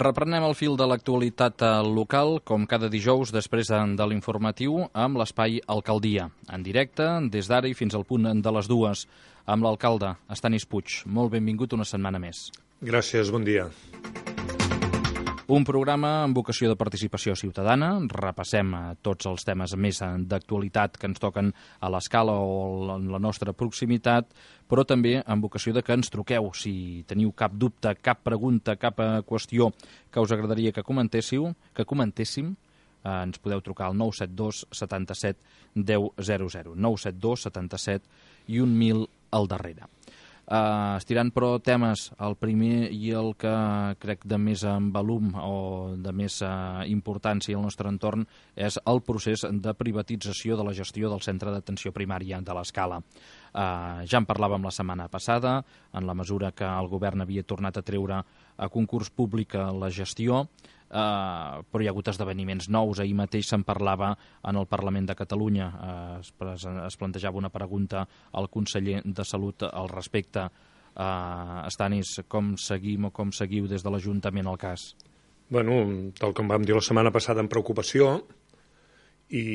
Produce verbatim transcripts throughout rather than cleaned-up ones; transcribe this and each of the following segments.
Reprenem el fil de l'actualitat local, com cada dijous, després de l'informatiu, amb l'espai Alcaldia. En directe, des d'ara i fins al punt de les dues, amb l'alcalde, Estanis Puig. Molt benvingut una setmana més. Gràcies, bon dia. Un programa amb vocació de participació ciutadana. Repassem tots els temes més d'actualitat que ens toquen a l'escala o en la nostra proximitat, però també amb vocació de que ens truqueu. Si teniu cap dubte, cap pregunta, cap qüestió que us agradaria que comentéssiu, que comentéssim, eh, ens podeu trucar al nou set dos setanta-set deu zero zero. nou set dos setanta-set i un mil al darrere. Uh, estirant però temes, el primer i el que crec de més en volum o de més uh, importància al nostre entorn és el procés de privatització de la gestió del centre d'atenció primària de l'Escala. Uh, ja en parlàvem la setmana passada, en la mesura que el govern havia tornat a treure a concurs públic la gestió, Uh, però hi ha hagut esdeveniments nous. Ahir mateix se'n parlava en el Parlament de Catalunya. Uh, es, es plantejava una pregunta al conseller de Salut al respecte. Uh, Estanis, com seguim o com seguiu des de l'Ajuntament el cas? Bueno, tal com vam dir la setmana passada, amb preocupació, i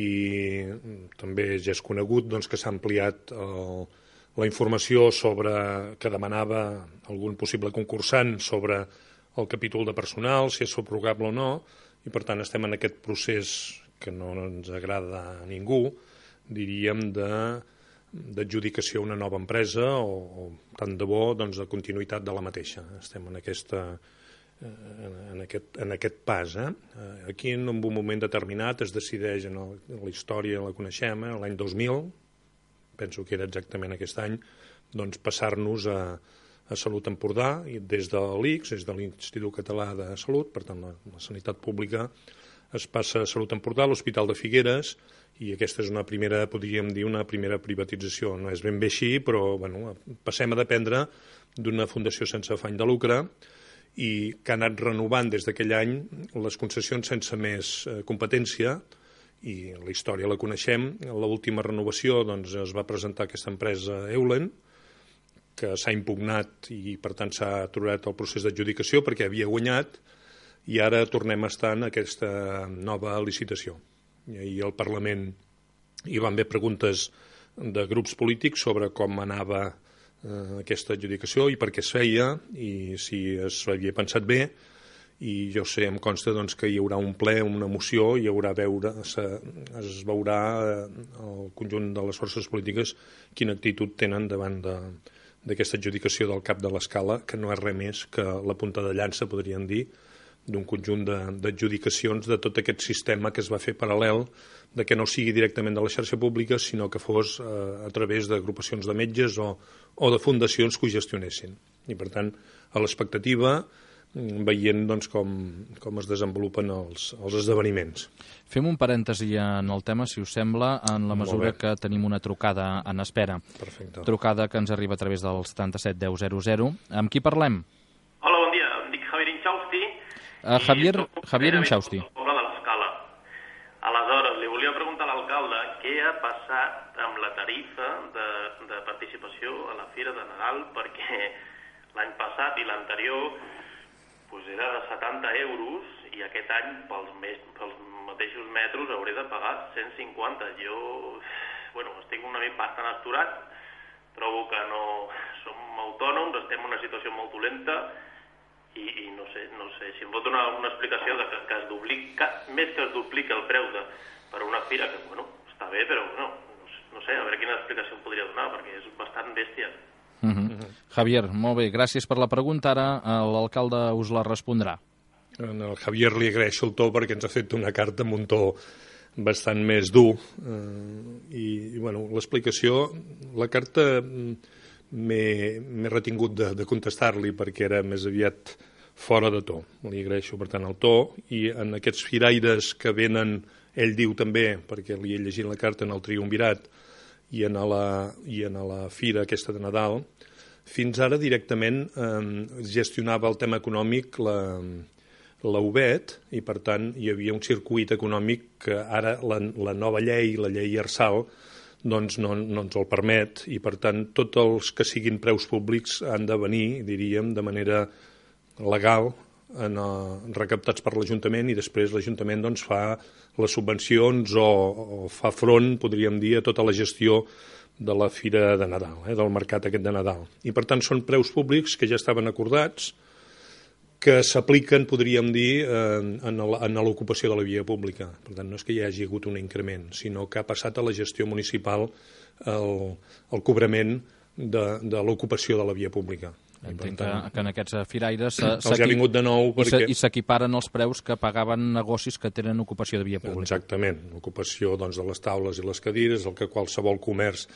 també ja és conegut doncs, que s'ha ampliat el, la informació sobre que demanava algun possible concursant sobre el capítol de personal, si és subrogable o no, i per tant estem en aquest procés que no ens agrada a ningú, diríem, d'adjudicació a una nova empresa o, o tant de bo, doncs, de continuïtat de la mateixa. Estem en, aquesta, en, aquest, en aquest pas. Eh? Aquí, en un moment determinat, es decideix, en, el, en la història la coneixem, eh? l'any dos mil, penso que era exactament aquest any, doncs passar-nos a a Salut Empordà, i des de l'I C S, des de l'Institut Català de Salut, per tant la, la sanitat pública, es passa a Salut Empordà, l'Hospital de Figueres, i aquesta és una primera, podríem dir, una primera privatització. No és ben bé així, però bueno, passem a dependre d'una fundació sense afany de lucre i que ha anat renovant des d'aquell any les concessions sense més eh, competència, i la història la coneixem. L'última renovació doncs, es va presentar aquesta empresa Eulen, que s'ha impugnat i per tant s'ha aturat el procés d'adjudicació perquè havia guanyat, i ara tornem a estar en aquesta nova licitació. I ahir al Parlament hi van haver preguntes de grups polítics sobre com anava eh, aquesta adjudicació i per què es feia i si es havia pensat bé, i jo sé, em consta doncs, que hi haurà un ple, una moció, hi haurà veure, se, es veurà eh, el conjunt de les forces polítiques quina actitud tenen davant de d'aquesta adjudicació del cap de l'Escala, que no és res més que la punta de llança, podríem dir, d'un conjunt d'adjudicacions de, de tot aquest sistema que es va fer paral·lel, de que no sigui directament de la xarxa pública, sinó que fos eh, a través d'agrupacions de metges o, o de fundacions que ho gestionessin. I, per tant, a l'expectativa, veient doncs, com, com es desenvolupen els, els esdeveniments. Fem un parèntesi en el tema, si us sembla, en la mesura que tenim una trucada en espera. Perfecte. Trucada que ens arriba a través del setanta-set deu zero zero. Amb qui parlem? Hola, bon dia. Em dic Javier Inchausti. Uh, Javier, Javier Inchausti. Poble de l'Escala. Aleshores, li volia preguntar a l'alcalde què ha passat amb la tarifa de, de participació a la Fira de Nadal, perquè l'any passat i l'anterior pues era de setanta euros i aquest any pels, mes, pels mateixos metres hauré de pagar cent cinquanta. Jo, bueno, estic una mica bastant asturat, trobo que no som autònoms, estem en una situació molt dolenta i, i no sé, no sé si em pot donar una explicació de que, que es duplica, més que es duplica el preu de, per una fira, que bueno, està bé, però bueno, no, no sé, a veure quina explicació em podria donar, perquè és bastant bèstia. Uh-huh. Javier, molt bé, gràcies per la pregunta. Ara l'alcalde us la respondrà. Al Javier li agraeixo el to perquè ens ha fet una carta amb un to bastant més dur eh, i, i bueno, l'explicació, la carta m'he retingut de, de contestar-li perquè era més aviat fora de to. Li agraeixo per tant el to, i en aquests firaires que venen, ell diu també, perquè li he llegit la carta, en el Triumvirat i en la, i en la fira aquesta de Nadal, fins ara directament eh, gestionava el tema econòmic la, la U B E T, i per tant hi havia un circuit econòmic que ara la, la nova llei, la llei Arsal, doncs no, no ens el permet, i per tant tots els que siguin preus públics han de venir, diríem, de manera legal en, uh, recaptats per l'Ajuntament, i després l'Ajuntament doncs, fa les subvencions o, o fa front, podríem dir, a tota la gestió de la Fira de Nadal, eh, del mercat aquest de Nadal. I per tant són preus públics que ja estaven acordats, que s'apliquen, podríem dir, en, en l'ocupació de la via pública. Per tant, no és que hi hagi hagut un increment, sinó que ha passat a la gestió municipal el, el cobrament de, de l'ocupació de la via pública. Entenc que, que en aquests firaires els ha vingut de nou perquè... i s'equiparen els preus que pagaven negocis que tenen ocupació de via pública. Exactament, l'ocupació doncs, de les taules i les cadires, el que qualsevol comerç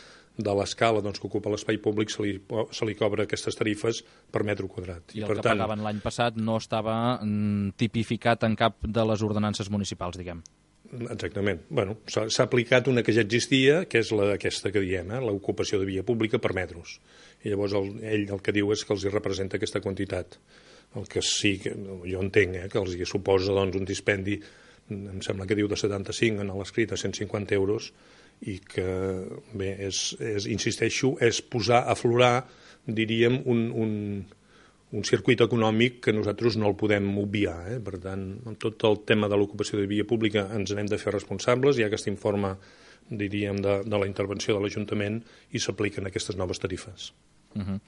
de l'escala doncs, que ocupa l'espai públic se li, se li cobra aquestes tarifes per metre quadrat. I, I el per que tant... pagaven l'any passat no estava mm, tipificat en cap de les ordenances municipals, diguem. Exactament. Bueno, s'ha aplicat una que ja existia, que és la, aquesta que diem, eh, l'ocupació de via pública per metres. I llavors el, ell el que diu és que els hi representa aquesta quantitat. El que sí, que jo entenc, eh, que els hi suposa doncs, un dispendi, em sembla que diu de setanta-cinc en l'escrit a cent cinquanta euros, i que, bé, és, és, insisteixo, és posar a aflorar, diríem, un, un, un circuit econòmic que nosaltres no el podem obviar. Eh? Per tant, amb tot el tema de l'ocupació de via pública ens n'hem de fer responsables. Hi ha aquest informe, diríem, de, de la intervenció de l'Ajuntament i s'apliquen aquestes noves tarifes. Uh-huh.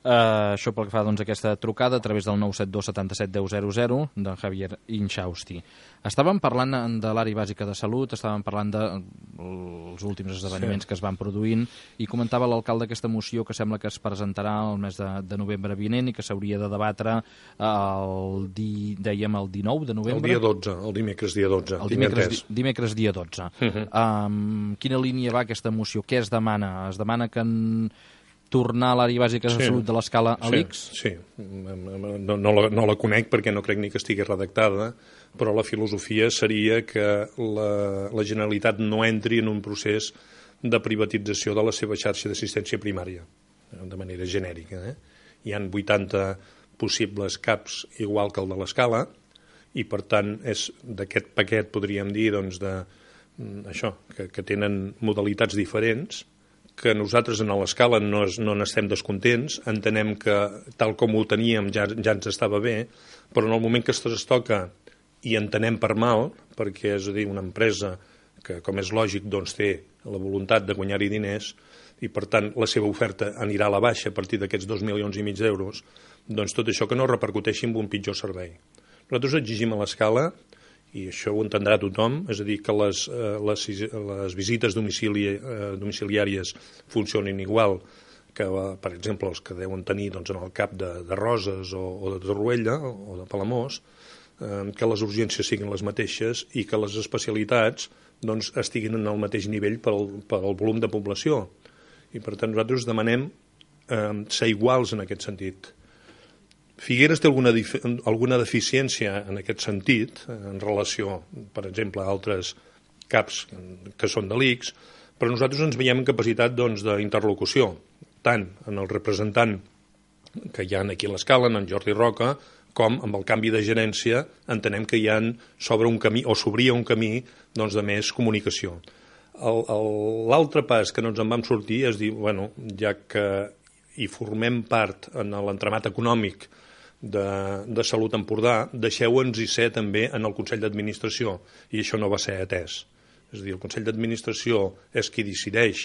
Uh, això pel que fa doncs, a aquesta trucada a través del nou set dos setanta-set deu zero zero d'en Javier Inchausti. Estàvem parlant de l'àrea bàsica de salut, estàvem parlant dels últims esdeveniments sí. que es van produint, i comentava l'alcalde aquesta moció que sembla que es presentarà el mes de, de novembre vinent i que s'hauria de debatre el, di, dèiem, el dinou de novembre. El dia dotze, el dimecres dia dotze. El dimecres, di, dimecres dia dotze. Uh-huh. um, quina línia va aquesta moció? Què es demana? Es demana que en tornar a l'àrea bàsica de sí, salut de l'escala a l'I C S? Sí, sí. No, no, la, no la conec perquè no crec ni que estigui redactada, però la filosofia seria que la, la Generalitat no entri en un procés de privatització de la seva xarxa d'assistència primària, de manera genèrica. Eh? Hi han vuitanta possibles caps igual que el de l'escala, i per tant és d'aquest paquet, podríem dir, doncs, de, això, que, que tenen modalitats diferents, que nosaltres en l'escala no, no n'estem descontents, entenem que tal com ho teníem ja, ja ens estava bé, però en el moment que es trastoca i entenem per mal, perquè és a dir, una empresa que, com és lògic, doncs, té la voluntat de guanyar-hi diners i, per tant, la seva oferta anirà a la baixa a partir d'aquests dos milions i mig d'euros, doncs tot això que no repercuteixi en un pitjor servei. Nosaltres exigim a l'escala, i això ho entendrà tothom, és a dir, que les, les, les visites domicili, domiciliàries funcionin igual que, per exemple, els que deuen tenir doncs, en el cap de, de Roses o, o de Torroella o de Palamós, eh, que les urgències siguin les mateixes i que les especialitats doncs, estiguin en el mateix nivell pel, pel volum de població. I, per tant, nosaltres demanem eh, ser iguals en aquest sentit. Figueres té alguna, alguna deficiència en aquest sentit, en relació, per exemple, a altres caps que són de l'I C S, però nosaltres ens veiem en capacitat doncs, d'interlocució, tant en el representant que hi ha aquí a l'escala, en Jordi Roca, com amb el canvi de gerència entenem que hi ha sobre un camí, o s'obria un camí doncs, de més comunicació. L'altre pas que no ens en vam sortir és dir, bueno, ja que hi formem part en l'entramat econòmic De, de Salut Empordà, deixeu-nos-hi ser també en el Consell d'Administració, i això no va ser atès. És a dir, el Consell d'Administració és qui decideix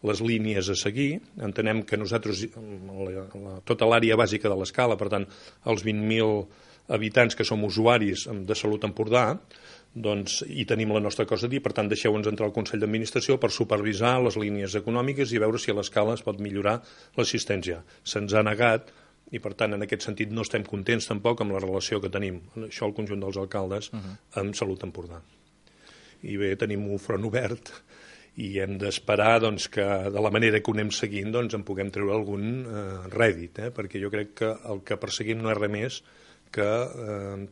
les línies a seguir, entenem que nosaltres, la, la, tota l'àrea bàsica de l'escala, per tant, els vint mil habitants que som usuaris de Salut Empordà, doncs hi tenim la nostra cosa a dir, per tant, deixeu-nos entrar al Consell d'Administració per supervisar les línies econòmiques i veure si a l'escala es pot millorar l'assistència. Se'ns ha negat, i per tant en aquest sentit no estem contents tampoc amb la relació que tenim, això el conjunt dels alcaldes, uh-huh. amb Salut Empordà. I bé, tenim un front obert i hem d'esperar doncs, que de la manera que ho anem seguint doncs, en puguem treure algun eh, rèdit, eh? perquè jo crec que el que perseguim no és res més que eh,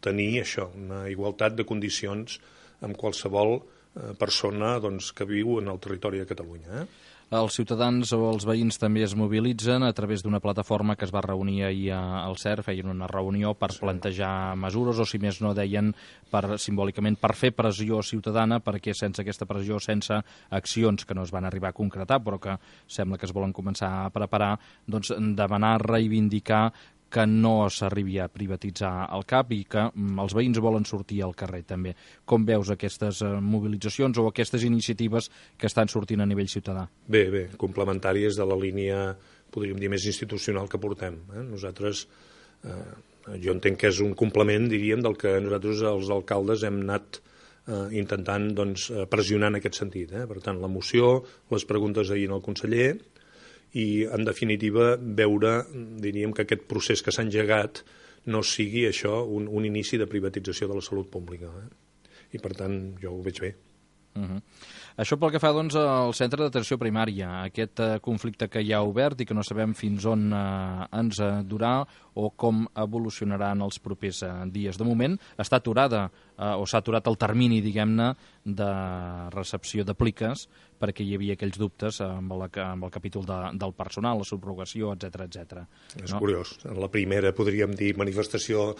tenir això, una igualtat de condicions amb qualsevol eh, persona doncs, que viu en el territori de Catalunya. Eh? Els ciutadans o els veïns també es mobilitzen a través d'una plataforma que es va reunir ahir al C E R, feien una reunió per sí. plantejar mesures, o si més no deien per, simbòlicament per fer pressió ciutadana, perquè sense aquesta pressió, sense accions que no es van arribar a concretar, però que sembla que es volen començar a preparar, doncs demanar, reivindicar que no s'arribi a privatitzar el C A P i que els veïns volen sortir al carrer també. Com veus aquestes mobilitzacions o aquestes iniciatives que estan sortint a nivell ciutadà? Bé, bé, complementàries de la línia, podríem dir, més institucional que portem. Eh? Nosaltres, eh, jo entenc que és un complement, diríem, del que nosaltres, els alcaldes, hem anat eh, intentant doncs, pressionar en aquest sentit. Eh? Per tant, la moció, les preguntes ahir al conseller, i, en definitiva, veure, diríem, que aquest procés que s'ha engegat no sigui això un, un inici de privatització de la salut pública. Eh? I, per tant, jo ho veig bé. Uh-huh. Això pel que fa doncs, al centre d'atenció primària, aquest uh, conflicte que hi ha obert i que no sabem fins on uh, ens uh, durà o com evolucionarà en els propers uh, dies. De moment està aturada uh, o s'ha aturat el termini, diguem-ne, de recepció de pliques perquè hi havia aquells dubtes amb, la, amb el capítol de, del personal, la subrogació, etcètera, etcètera. És no? curiós. En la primera, podríem dir, manifestació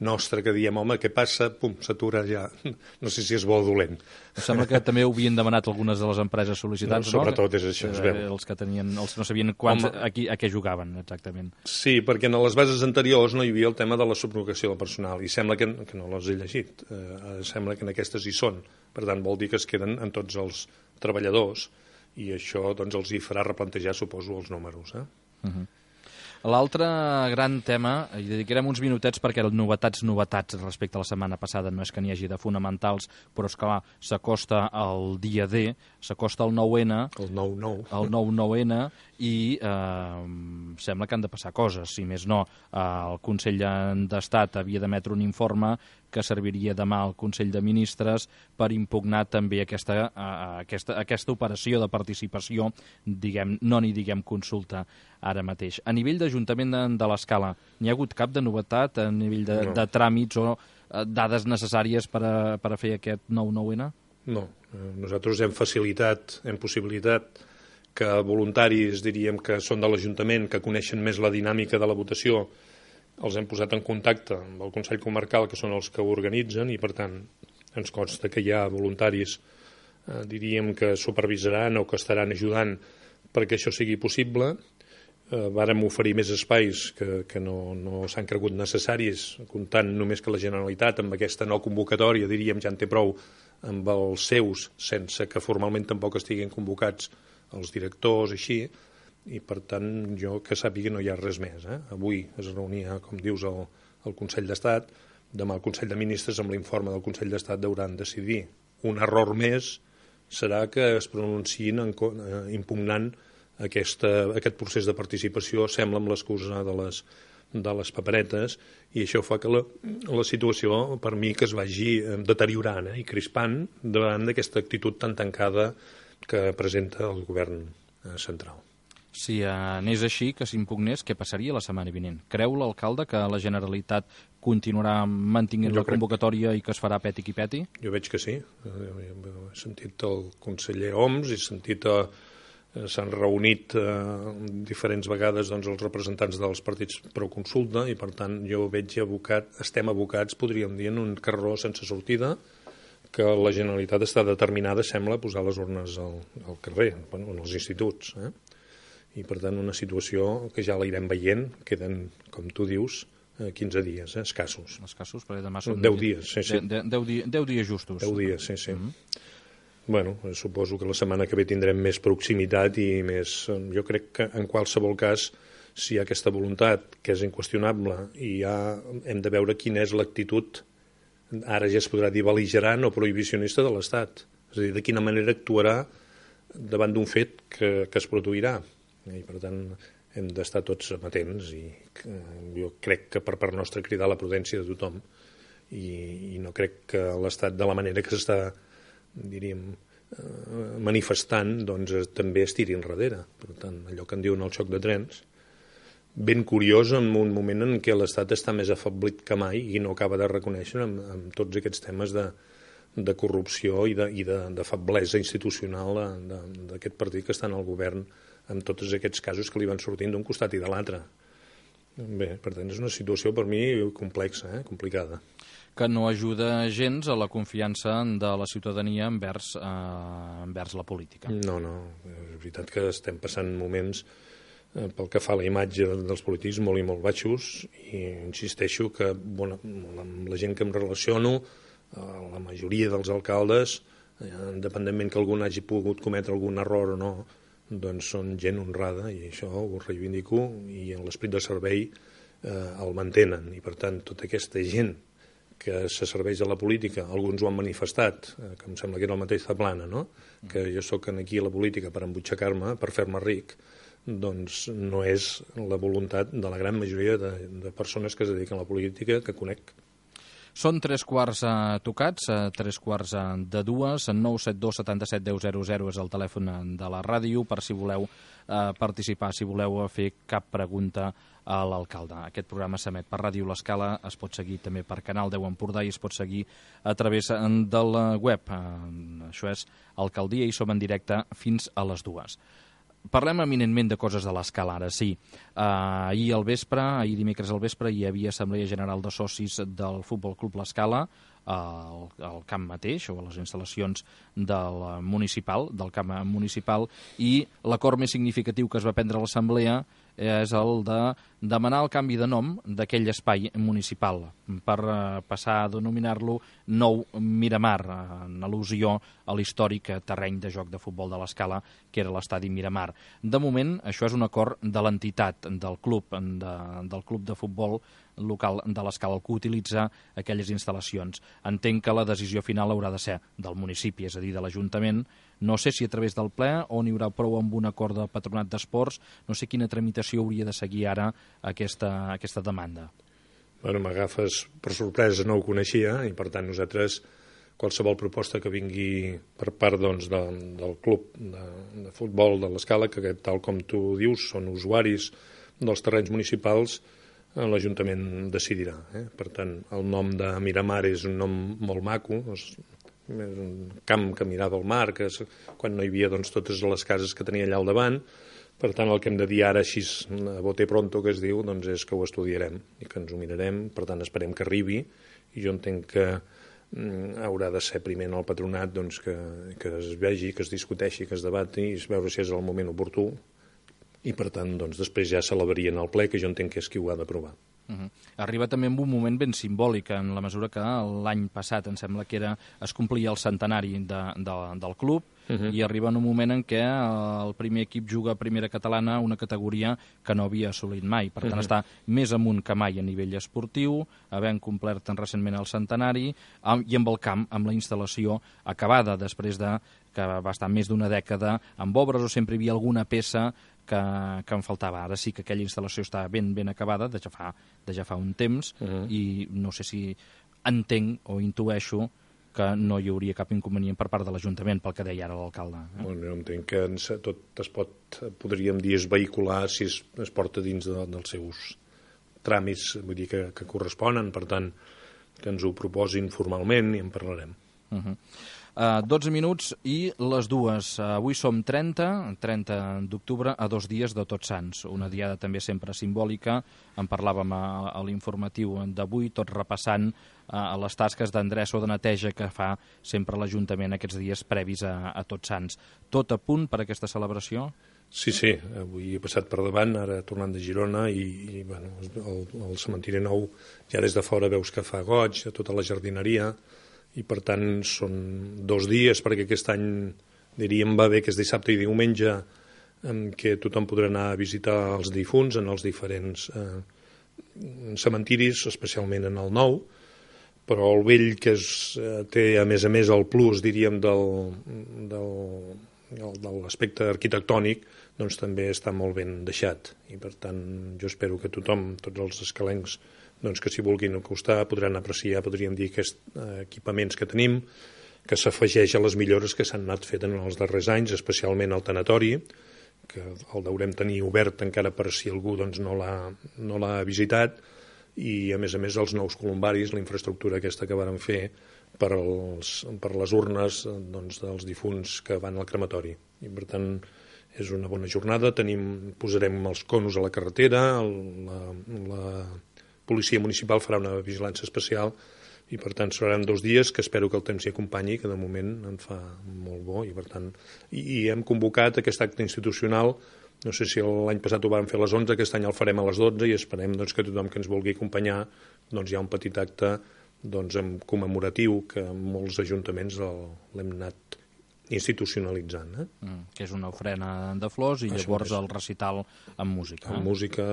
nostra que diem, home, què passa? Pum, s'atura ja. No sé si és bo o dolent. Em sembla que també ho havien demanat algunes de les empreses sol·licitants, no? Sobretot és això, es veu. Els que tenien, els no sabien quants, a, qui, a què jugaven, exactament. Sí, perquè en les bases anteriors no hi havia el tema de la subrogació del personal, i sembla que, que no les he llegit. Eh, sembla que en aquestes hi són. Per tant, vol dir que es queden en tots els treballadors, i això doncs, els hi farà replantejar, suposo, els números. Eh? Uh-huh. L'altre gran tema, hi dedicarem uns minutets perquè novetats, novetats respecte a la setmana passada, no és que n'hi hagi de fonamentals, però és que s'acosta el dia D, s'acosta el nou ene, el nou nou, el nou nou ene, i eh, sembla que han de passar coses, si més no. Eh, el Consell d'Estat havia d'emetre un informe que serviria demà al Consell de Ministres per impugnar també aquesta, uh, aquesta, aquesta operació de participació, diguem, no n'hi diguem consulta ara mateix. A nivell d'Ajuntament de, de l'Escala, n'hi ha hagut cap de novetat a nivell de, no. de tràmits o uh, dades necessàries per a, per a fer aquest nou nou ene? No, nosaltres hem facilitat, hem possibilitat que voluntaris, diríem, que són de l'Ajuntament, que coneixen més la dinàmica de la votació, els hem posat en contacte amb el Consell Comarcal, que són els que ho organitzen, i per tant ens consta que hi ha voluntaris, eh, diríem, que supervisaran o que estaran ajudant perquè això sigui possible. Eh, vàrem oferir més espais que, que no, no s'han cregut necessaris, comptant només que la Generalitat, amb aquesta no convocatòria, diríem, ja en té prou amb els seus, sense que formalment tampoc estiguin convocats els directors, així, i per tant jo que sàpiga no hi ha res més. Eh? Avui es reunia, com dius, el, el Consell d'Estat, demà el Consell de Ministres amb l'informe del Consell d'Estat hauran de decidir. Un error més serà que es pronunciïn en, eh, impugnant aquesta, aquest procés de participació, sembla amb l'excusa de les, de les paperetes, i això fa que la, la situació, per mi, que es vagi deteriorant eh, i crispant davant d'aquesta actitud tan tancada que presenta el govern eh, central. Si anés així, que s'impugnés, què passaria la setmana vinent? Creu l'alcalde que la Generalitat continuarà mantenint la convocatòria i que es farà peti qui peti? Jo veig que sí. He sentit el conseller Homs, he sentit, eh, s'han reunit eh, diferents vegades doncs, els representants dels partits pro consulta, i per tant jo veig abocat, estem abocats, podríem dir, en un carreró sense sortida, que la Generalitat està determinada, sembla, a posar les urnes al, al carrer, bueno, en els instituts, eh? I per tant una situació que ja la irem veient, queden, com tu dius, quinze dies, eh, escassos. Escassos, perquè demà són... deu dies, sí, sí. deu dies justos. deu dies, sí, sí. Mm-hmm. Bueno, suposo que la setmana que ve tindrem més proximitat i més... Jo crec que en qualsevol cas, si hi ha aquesta voluntat, que és inqüestionable, i ja hem de veure quina és l'actitud, ara ja es podrà dir bel·ligerant o prohibicionista de l'Estat. És a dir, de quina manera actuarà davant d'un fet que, que es produirà. I per tant hem d'estar tots amatents, i jo crec que per part nostra cridar la prudència de tothom, i, i no crec que l'Estat, de la manera que s'està, diríem, manifestant, doncs també es tiri enrere. Per tant, allò que en diuen el xoc de trens, ben curiós en un moment en què l'Estat està més afeblit que mai i no acaba de reconèixer amb, amb tots aquests temes de, de corrupció i de, i de, de feblesa institucional d'aquest partit que està en el govern, amb tots aquests casos que li van sortint d'un costat i de l'altre. Bé, per tant, és una situació per mi complexa, eh? complicada. Que no ajuda gens a la confiança de la ciutadania envers, eh, envers la política. No, no, és veritat que estem passant moments pel que fa a la imatge dels polítics, molt i molt baixos, i insisteixo que bueno, amb la gent que em relaciono, la majoria dels alcaldes, independentment que algun hagi pogut cometre algun error o no, doncs són gent honrada, i això ho reivindico, i en l'esperit de servei eh, el mantenen, i per tant tota aquesta gent que se serveix a la política, alguns ho han manifestat, eh, que em sembla que era el mateix Zaplana, no? Que jo sóc aquí a la política per embutxacar-me, per fer-me ric, doncs no és la voluntat de la gran majoria de, de persones que es dediquen a la política que conec. Són tres quarts eh, tocats, eh, tres quarts eh, de dues, nou set dos setanta-set deu zero zero és el telèfon de la ràdio per si voleu eh, participar, si voleu fer cap pregunta a l'alcalde. Aquest programa s'emet per Ràdio L'Escala, es pot seguir també per Canal deu Empordà i es pot seguir a través del web. Eh, això és Alcaldia i som en directe fins a les dues. Parlem eminentment de coses de l'Escala, ara sí. Uh, ahir al vespre, ahir dimecres al vespre, hi havia Assemblea General de Socis del Futbol Club L'Escala, al, al camp mateix, o a les instal·lacions del municipal, del camp municipal, i l'acord més significatiu que es va prendre a l'Assemblea és el de demanar el canvi de nom d'aquell espai municipal per eh, passar a denominar-lo Nou Miramar, en al·lusió a l'històric terreny de joc de futbol de l'Escala, que era l'estadi Miramar. De moment, això és un acord de l'entitat, del club, de, del club de futbol local de l'Escala, el que utilitza aquelles instal·lacions. Entenc que la decisió final haurà de ser del municipi, és a dir, de l'Ajuntament. No sé si a través del ple o n'hi haurà prou amb un acord de patronat d'esports. No sé quina tramitació hauria de seguir ara aquesta, aquesta demanda. Bueno, m'agafes per sorpresa, no ho coneixia, i per tant nosaltres qualsevol proposta que vingui per part doncs, de, del club de, de futbol de l'Escala, que tal com tu dius són usuaris dels terrenys municipals, l'Ajuntament decidirà. Eh? Per tant, el nom de Miramar és un nom molt maco, és un camp que mirava al mar, que és, quan no hi havia doncs, totes les cases que tenia allà al davant. Per tant, el que hem de dir ara, així a bote pronto, que es diu, doncs és que ho estudiarem i que ens ho mirarem. Per tant, esperem que arribi, i jo entenc que mm, haurà de ser primer en el patronat doncs, que, que es vegi, que es discuteixi, que es debati, i veure si és el moment oportú. I, per tant, doncs, després ja celebraria en el ple, que jo entenc que és qui ho ha d'aprovar. Uh-huh. Arriba també en un moment ben simbòlic, en la mesura que l'any passat, em sembla que era, es complia el centenari de, de, del club, uh-huh. i arriba en un moment en què el primer equip juga a primera catalana, una categoria que no havia assolit mai. Per tant, uh-huh. està més amunt que mai a nivell esportiu, havent complert recentment el centenari, i amb el camp, amb la instal·lació acabada, després de que va estar més d'una dècada amb obres, o sempre hi havia alguna peça que, que em faltava. Ara sí que aquella instal·lació està ben ben acabada, de ja fa, de ja fa un temps, uh-huh. i no sé si entenc o intueixo que no hi hauria cap inconvenient per part de l'Ajuntament, pel que deia ara l'alcalde. Eh? Bueno, jo entenc que tot es pot, podríem dir, es vehicular si es, es porta dins de, dels seus tràmits, vull dir, que, que corresponen, per tant, que ens ho proposin formalment i en parlarem. Uh-huh. Uh, dotze minuts i les dues. Uh, avui som trenta, trenta d'octubre, a dos dies de Tots Sants. Una diada també sempre simbòlica. En parlàvem a, a l'informatiu d'avui, tot repassant uh, les tasques d'endreça o de neteja que fa sempre l'Ajuntament aquests dies previs a, a Tots Sants. Tot a punt per aquesta celebració? Sí, sí. Avui he passat per davant, ara tornant de Girona, i, i bueno, el, el cementiri nou ja des de fora veus que fa goig, tota la jardineria, i per tant són dos dies, perquè aquest any diríem va bé que és dissabte i diumenge, en què tothom podrà anar a visitar els difunts en els diferents eh, cementiris, especialment en el nou, però el vell, que és, eh, té a més a més el plus, diríem, del, del, de l'aspecte arquitectònic, doncs també està molt ben deixat, i per tant jo espero que tothom, tots els escalencs, doncs que s'hi vulguin acostar podran apreciar, podríem dir, aquests eh, equipaments que tenim, que s'afegeix a les millores que s'han anat fent en els darrers anys, especialment el tanatori, que el deurem tenir obert encara per si algú doncs, no l'ha no l'ha visitat, i a més a més els nous columbaris, la infraestructura aquesta que varen fer per, els, per les urnes doncs, dels difunts que van al crematori. I per tant és una bona jornada, tenim, posarem els conos a la carretera, la, la policia municipal farà una vigilància especial, i per tant seran dos dies que espero que el temps s'hi acompanyi, que de moment en fa molt bo, i per tant i, i hem convocat aquest acte institucional No sé si l'any passat ho vam fer a les onze, aquest any el farem a les dotze i esperem doncs, que tothom que ens vulgui acompanyar doncs, hi ha un petit acte doncs, commemoratiu que molts ajuntaments l'hem anat institucionalitzant. Eh? Mm, que és una ofrena de flors i Això llavors és. el recital amb música. Amb eh? música,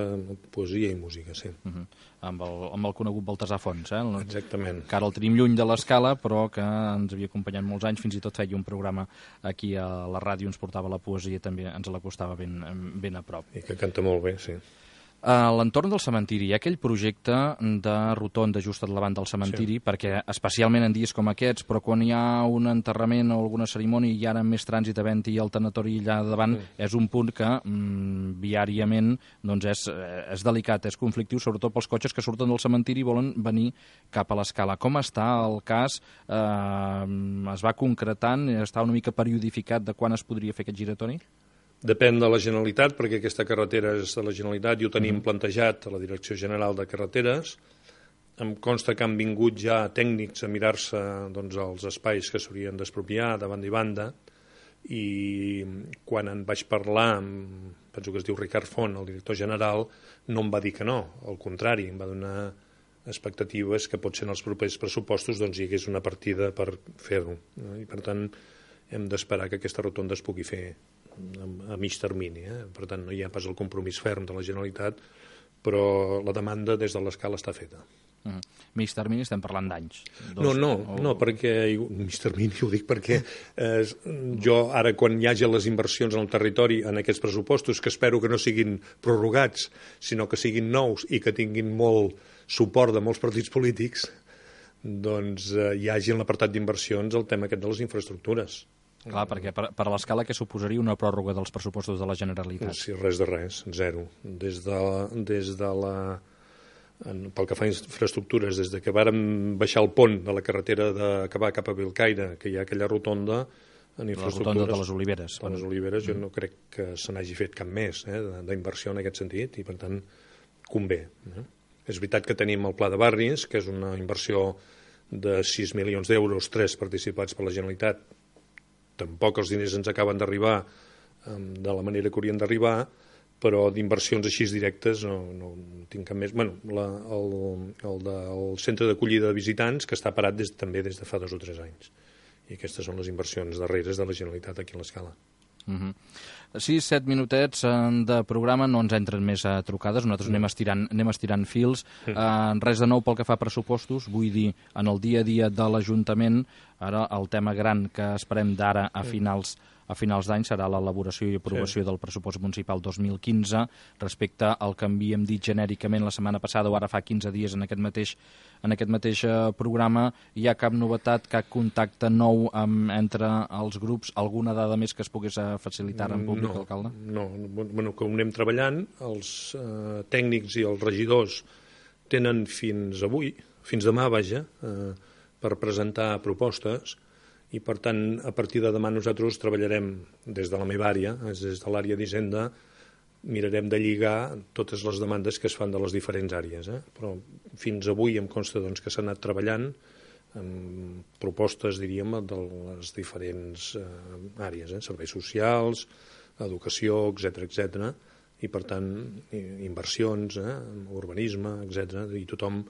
poesia i música, sí. Uh -huh. amb, el, amb el conegut Baltasar Fons, eh? El, Exactament. que ara el tenim lluny de l'escala, però que ens havia acompanyat molts anys, fins i tot feia un programa aquí a la ràdio, ens portava la poesia, també ens l'acostava ben, ben a prop. I que canta molt bé, sí. A l'entorn del cementiri hi ha aquell projecte de rotonda just al davant del cementiri, sí. perquè especialment en dies com aquests, però quan hi ha un enterrament o alguna cerimònia i ara més trànsit havent-hi el tanatori allà davant, sí. és un punt que mm, viàriament doncs és, és delicat, és conflictiu, sobretot pels cotxes que surten del cementiri i volen venir cap a l'escala. Com està el cas? Eh, es va concretant? Està una mica periodificat de quan es podria fer aquest giratori? Depèn de la Generalitat, perquè aquesta carretera és de la Generalitat i ho tenim plantejat a la Direcció General de Carreteres. Em consta que han vingut ja tècnics a mirar-se doncs, els espais que s'haurien d'expropiar de banda i banda, i quan en vaig parlar amb, penso que es diu Ricard Font, el director general, no em va dir que no, al contrari, em va donar expectatives que potser en els propers pressupostos doncs, hi hagués una partida per fer-ho. I per tant hem d'esperar que aquesta rotonda es pugui fer a mig termini. Eh? Per tant, no hi ha pas el compromís ferm de la Generalitat, però la demanda des de l'escala està feta. Uh -huh. Mig termini estem parlant d'anys? No, no, o... no, perquè mig termini ho dic perquè eh, jo ara quan hi hagi les inversions en el territori en aquests pressupostos, que espero que no siguin prorrogats, sinó que siguin nous i que tinguin molt suport de molts partits polítics, doncs eh, hi hagi en l'apartat d'inversions el tema aquest de les infraestructures. Clar, perquè per, per a l'escala què suposaria una pròrroga dels pressupostos de la Generalitat? Sí, res de res, zero. Des de, des de la... En, pel que fa a infraestructures, des de que vàrem baixar el pont de la carretera de, que va cap a Bellcaire, que hi ha aquella rotonda, en infraestructures... La rotonda de les Oliveres. De les Oliveres, jo no crec que se n'hagi fet cap més eh, d'inversió en aquest sentit, i per tant convé. Eh? És veritat que tenim el Pla de Barris, que és una inversió de sis milions d'euros, tres participats per la Generalitat. Tampoc els diners ens acaben d'arribar de la manera que haurien d'arribar, però d'inversions així directes no, no tinc cap més. Bueno, la, el, el del centre d'acollida de visitants, que està parat des, també des de fa dos o tres anys. I aquestes són les inversions darreres de la Generalitat aquí a l'escala. Uh -huh. sis set minutets de programa, no ens entren més a trucades, nosaltres no. anem, estirant, anem estirant fils. Mm. Uh, res de nou pel que fa a pressupostos, vull dir, en el dia a dia de l'Ajuntament, ara el tema gran que esperem d'ara a finals a finals d'any serà l'elaboració i aprovació sí. del pressupost municipal dos mil quinze respecte al que havíem dit genèricament la setmana passada o ara fa quinze dies en aquest mateix, en aquest mateix uh, programa. Hi ha cap novetat, cap contacte nou amb, entre els grups, alguna dada més que es pogués uh, facilitar en públic, no, alcalde? No, bueno, que ho anem treballant, els uh, tècnics i els regidors tenen fins avui, fins demà, vaja, uh, per presentar propostes, i per tant, a partir de demà nosaltres treballarem des de la meva àrea, des de l'àrea d'Hisenda, mirarem de lligar totes les demandes que es fan de les diferents àrees. Eh? Però fins avui em consta doncs, que s'ha anat treballant amb propostes, diríem, de les diferents eh, àrees, eh? serveis socials, educació, etcètera, etcètera, i per tant, inversions, eh? urbanisme, etcètera, i tothom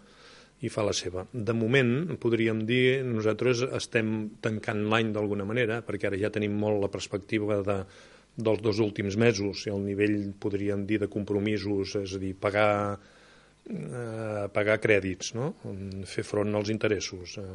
i fa la seva. De moment, podríem dir, nosaltres estem tancant l'any d'alguna manera, perquè ara ja tenim molt la perspectiva de, dels dos últims mesos, i el nivell, podríem dir, de compromisos, és a dir, pagar, eh, pagar crèdits, no? Fer front als interessos eh,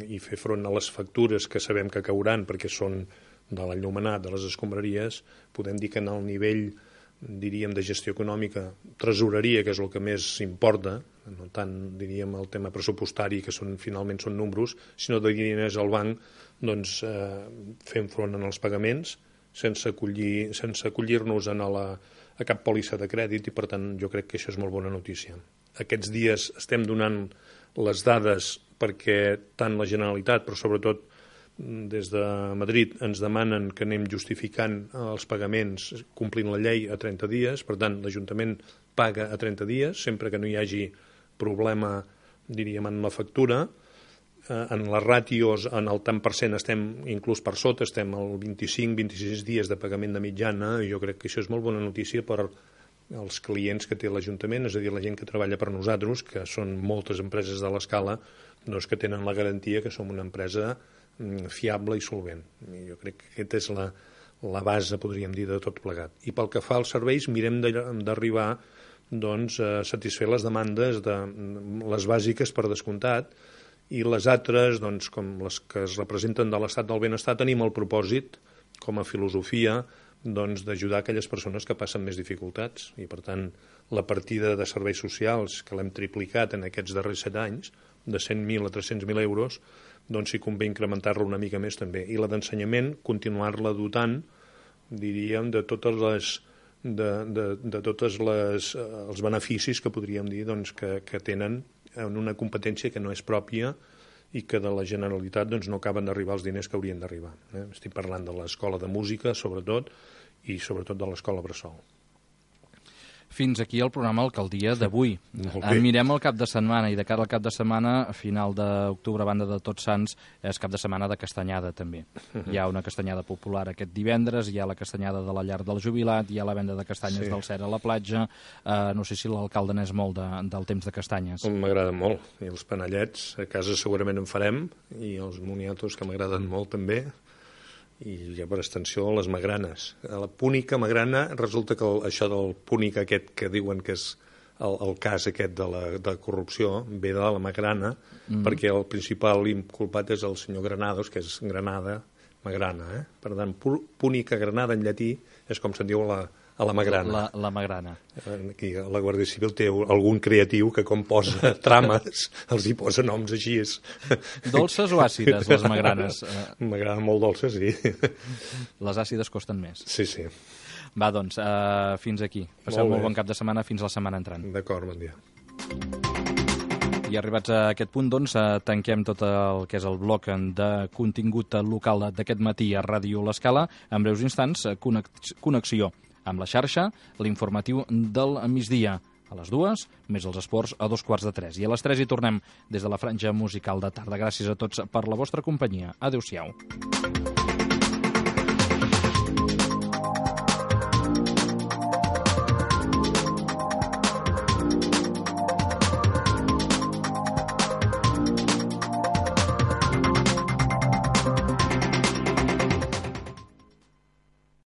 i fer front a les factures que sabem que cauran, perquè són de l'enllumenat, de les escombraries, podem dir que en el nivell, diríem, de gestió econòmica, tresoreria, que és el que més importa, no tant, diríem, el tema pressupostari, que són, finalment són números, sinó de diners al banc, doncs, eh, fem front en els pagaments, sense acollir, sense acollir-nos a, la, a cap pòlissa de crèdit, i per tant jo crec que això és molt bona notícia. Aquests dies estem donant les dades perquè tant la Generalitat, però sobretot des de Madrid, ens demanen que anem justificant els pagaments complint la llei a trenta dies, per tant l'Ajuntament paga a trenta dies, sempre que no hi hagi problema, diríem, en la factura. en les ràtios, en el tant per cent estem inclús per sota, estem al vint-i-cinc a vint-i-sis dies de pagament de mitjana, i jo crec que això és molt bona notícia per als clients que té l'Ajuntament, és a dir, la gent que treballa per nosaltres, que són moltes empreses de l'Escala, doncs que tenen la garantia que som una empresa fiable i solvent. I jo crec que aquesta és la, la base, podríem dir, de tot plegat. I pel que fa als serveis, mirem d'arribar doncs, a satisfer les demandes de les bàsiques per descomptat, i les altres, doncs, com les que es representen de l'estat del benestar, tenim el propòsit, com a filosofia, doncs, d'ajudar aquelles persones que passen més dificultats. I, per tant, la partida de serveis socials, que l'hem triplicat en aquests darrers set anys, de cent mil a tres-cents mil euros, doncs sí convé incrementar-la una mica més també. I la d'ensenyament, continuar-la dotant, diríem, de totes les... de, de, de totes les, els beneficis que podríem dir doncs, que, que tenen en una competència que no és pròpia i que de la Generalitat doncs, no acaben d'arribar els diners que haurien d'arribar. Eh? Estic parlant de l'Escola de Música, sobretot, i sobretot de l'Escola Bressol. Fins aquí el programa Alcaldia d'avui. Mirem el cap de setmana, i de cara al cap de setmana, a final d'octubre, a banda de Tots Sants, és cap de setmana de castanyada, també. Hi ha una castanyada popular aquest divendres, hi ha la castanyada de la llar del jubilat, hi ha la venda de castanyes sí. del Cer a la platja. Uh, no sé si l'alcalde n'és molt de, del temps de castanyes. M'agrada molt. I els panellets, a casa segurament en farem, i els moniatos, que m'agraden molt també, i ja per extensió les magranes. A la púnica magrana resulta que el, això del púnic aquest que diuen que és el, el cas aquest de la de corrupció ve de la magrana, mm. perquè el principal inculpat és el senyor Granados, que és Granada, magrana. Eh? Per tant, púnica granada en llatí és com se'n diu la, a la magrana. La, la magrana. Aquí la Guàrdia Civil té algun creatiu que com posa trames els hi posa noms així. Dolces o àcides, les magranes? M'agraden molt dolces, sí. Les àcides costen més. Sí, sí. Va, doncs, uh, fins aquí. Passeu molt, molt bon cap de setmana, fins la setmana entrant. D'acord, bon dia. I arribats a aquest punt, doncs, tanquem tot el que és el bloc de contingut local d'aquest matí a Ràdio L'Escala. En breus instants, connexió amb la xarxa, l'informatiu del migdia a les dues, més els esports a dos quarts de tres. I a les tres hi tornem des de la franja musical de tarda. Gràcies a tots per la vostra companyia. Adéu-siau.